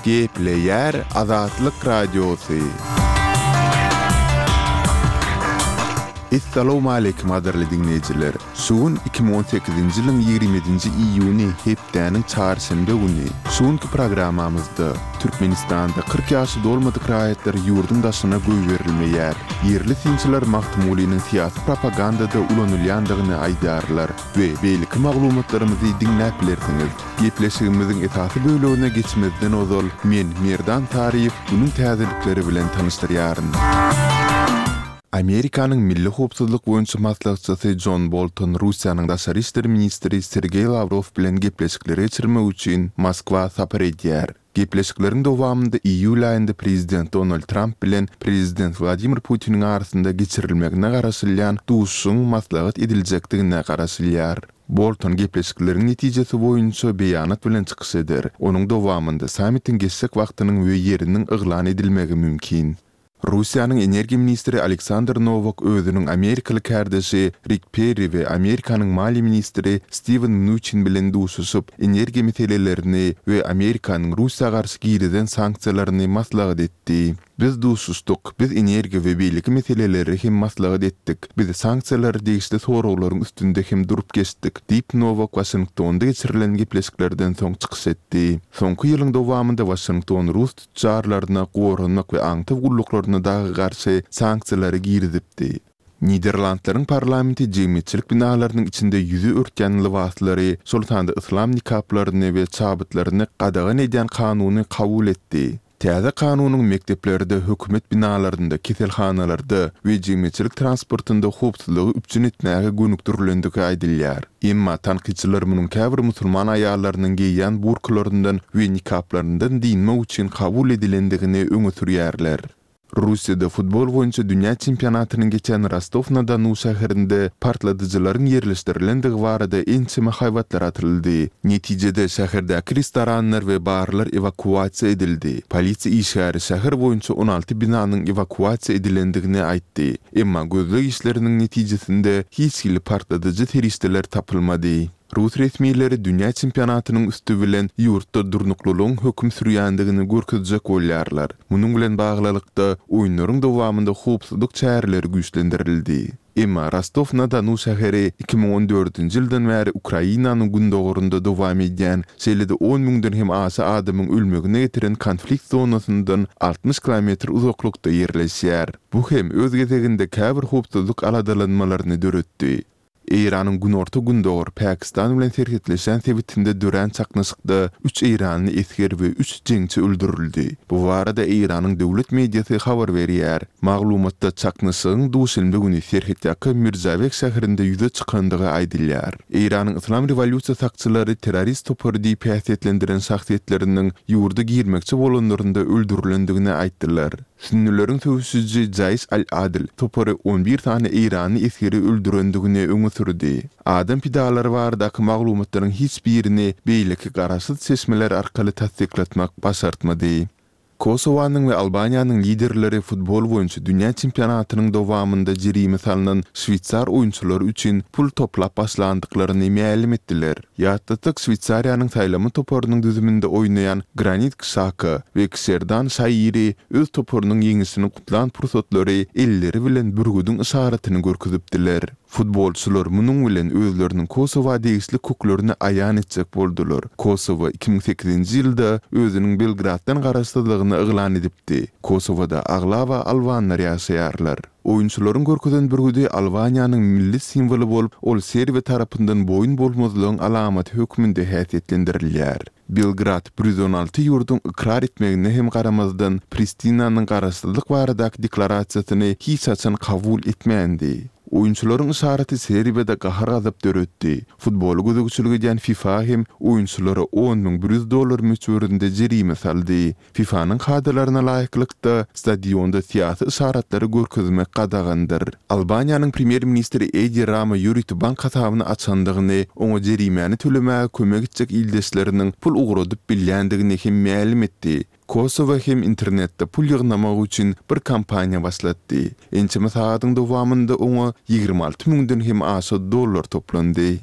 Gepleýär Azatlyk Radiosy. Essalawmaleýkim gadyrly diňleýjiler! Şu gün 2018-nji ýylyň 27-nji iýuny hepdäniň çarşenbe güni. Şu günki programmamyzda, Türkmenistanda 40 ýaşy dolmadyk raýatlar ýurduň daşyna goýberilmeýär. Ýerli synçylar Magtymgulynyň syýasy propagandada ulanylýandygyny aýdýarlar we beýleki maglumatlarymyzy diňläp bilersiňiz. Gepleşigimiziň esasy bölegine geçmezden ozal, men, Merdan Taryýew, günüň täzelikleri bilen tanyşdyrýaryn. Amerikanyň Milli howpsuzlyk boýunça maslahatçysy Jon Bolton Russiýanyň daşary işler ministri Sergeý Lawrow bilen gepleşikleri geçirmek üçin Moskwa sapar edýär. Gepleşikleriň dowamynda iýul aýynda prezident Donald Tramp bilen prezident Wladimir Putiniň arasynda geçirilmegine garaşylýan duşuşygyň maslahat ediljekdigine garaşylýar. Bolton gepleşikleriň netijesi boýunça beýanat bilen çykyş eder. Onuň dowamynda sammitiň geçjek wagtynyň we ýeriniň yglan edilmegi mümkin. Russiýanyň energiýa ministri Aleksandr Nowak özüniň amerikaly kärdeşi Rik Perri we Amerikanyň maliýe ministri Stiwen Mnuçin bilen duşuşyp, energiýa meselelerini we Amerikanyň Russiýa garşy girizen sanksiýalaryny maslahat etdi. Biz duşuşdyk, biz energiýa we beýleki meseleleri hem maslahat etdik. Biz sanksiýalara degişli soraglaryň üstünde hem durup geçdik, diýip Nowak Waşingtonda geçirilen gepleşiklerden soň çykyş etdi. Soňky ýylyň dowamynda Waşington rus tütjarlaryna, goranmak we aňtaw gulluklaryna dagy garşy sanksiýalary girizipdi. Niderlandlaryň parlamenti jemgyýetçilik binalarynyň içinde ýüzi örtýän lybaslary, şol sanda yslam nikaplaryny we çabytlaryny gadagan edýän kanuny kabul etdi. Täze kanunyň mekdeplerde, hökümet binalarynda, keselhanalarda we jemgyýetçilik transportynda howpsuzlygy üpjün etmäge gönükdirilendigi aýdylýar. Emma tankytçylar munuň käbir musulman aýallarynyň geýýän burkalaryndan we nikaplaryndan dynmak üçin kabul edilendigini öňe sürýärler. Russiýada futbol boýunça dünýä çempionatynyň geçen Rostow-na-Donu şäherinde partladyjylaryň ýerleşdirilendigi barada ençeme haýbatlar atyldy. Netijede, şäherdäki restoranlar we barlar ewakuasiýa edildi. Polisiýa işgäri şäher boýunça 16 binanyň ewakuasiýa edilendigini aýtdy. Emma gözleg işleriniň netijesinde hiç hili partladyjy serişdeler tapylmady. Rus resmileri dünýä çempionatynyň üsti bilen ýurtda durnuklylygyň höküm sürýändigini görkezjek bolýarlar. Munuň bilen baglylykda, oýunlaryň dowamynda howpsuzlyk çäreleri güýçlendirildi. Emma Rostow-na-Donu şäheri 2014-nji ýyldan bäri Ukrainanyň gündogarynda dowam edýän, şeýle-de on müňden hem aşa adamyň ölmegine getiren konflikt zonasyndan 60 kilometr uzaklykda ýerleşýär. Bu hem öz gezeginde käbir howpsuzlyk aladalanmalaryny döretdi. Eýranyň günorta-gündogar Pakistan bilen serhetleşýän sebitinde dörän çaknyşykda üç eýranly esger we üç jeňçi öldürildi. Bu barada Eýranyň döwlet mediasy habar berýär. Maglumatda çaknyşygyň duşenbe güni serhetýaka Mirzabek şäherinde ýüze çykandygy aýdylýar. Eýranyň Yslam rewolýusiýa sakçylary terrorist topary diýip häsiýetlendiren şahsyýetleriniň ýurda girmekçi bolanlarynda öldürilendigini aýtdylar. Sünnüleriň söweşiji Jaýş al-Adl topary on bir sany eýranly esgeri öldürendigini öňe sürdi. Adam pidalary baradaky maglumatlaryň hiç birini beýleki garaşsyz çeşmeler arkaly tassyklatmak başartmady. Kosowanyň we Albaniýanyň liderleri futbol boýunça dünýä çempionatynyň dowamynda jerime salnan şweýsar oýunçylary üçin pul toplap başlandyklaryny mälim etdiler. Ýatlatsak, Şweýsariýanyň saýlama toparynyň düzüminde oýnaýan Granit Kşaka we Kşerdan Şairi öz toparynyň ýeňişini gutlan pursatlary elleri bilen bürgüdiň yşaratyny görkezipdiler. Futbolçylar munuň bilen özleriniň Kosowa degişli köklerini aýan etjek boldular. Kosowa 2008-nji ýylda özüniň Belgraddan garaşsyzlygyny yglan edipdi. Kosowada aglaba albanlar ýaşaýarlar. Oýunçylaryň görkezen bürgüdi Albaniýanyň milli simwoly bolup, ol Serbiýa tarapyndan boýun bolmazlygyň alamaty hökmünde häsiýetlendirilýär. Belgrad 116 ýurduň ykrar etmegine hem garamazdan, Pristinanyň garaşsyzlyk baradaky deklarasiýasyny hiç haçan kabul etmändi. Oýunçylaryň yşaraty Serbiýada gahar-gazap döretdi. Futbola gözegçilik edýän FIFA hem oýunçylara 10 100 dollar möçberinde jerime saldy. FIFA-nyň kadalaryna laýyklykda, stadionda syýasy yşaratlary görkezmek gadagandyr. Albaniýanyň premýer-ministri Edi Rama ýörite bank hasabyny açandygyny, oňa jerimäni tölemäge kömek etjek ildeşleriniň pul ugradyp bilýändigini hem mälim etdi. Kosowa hem internetde pul ýygnamak üçin bir kampaniýa başlatdy. Ençeme sagadyň dowamynda oňa 26 müňden hem aşa dollar toplandy.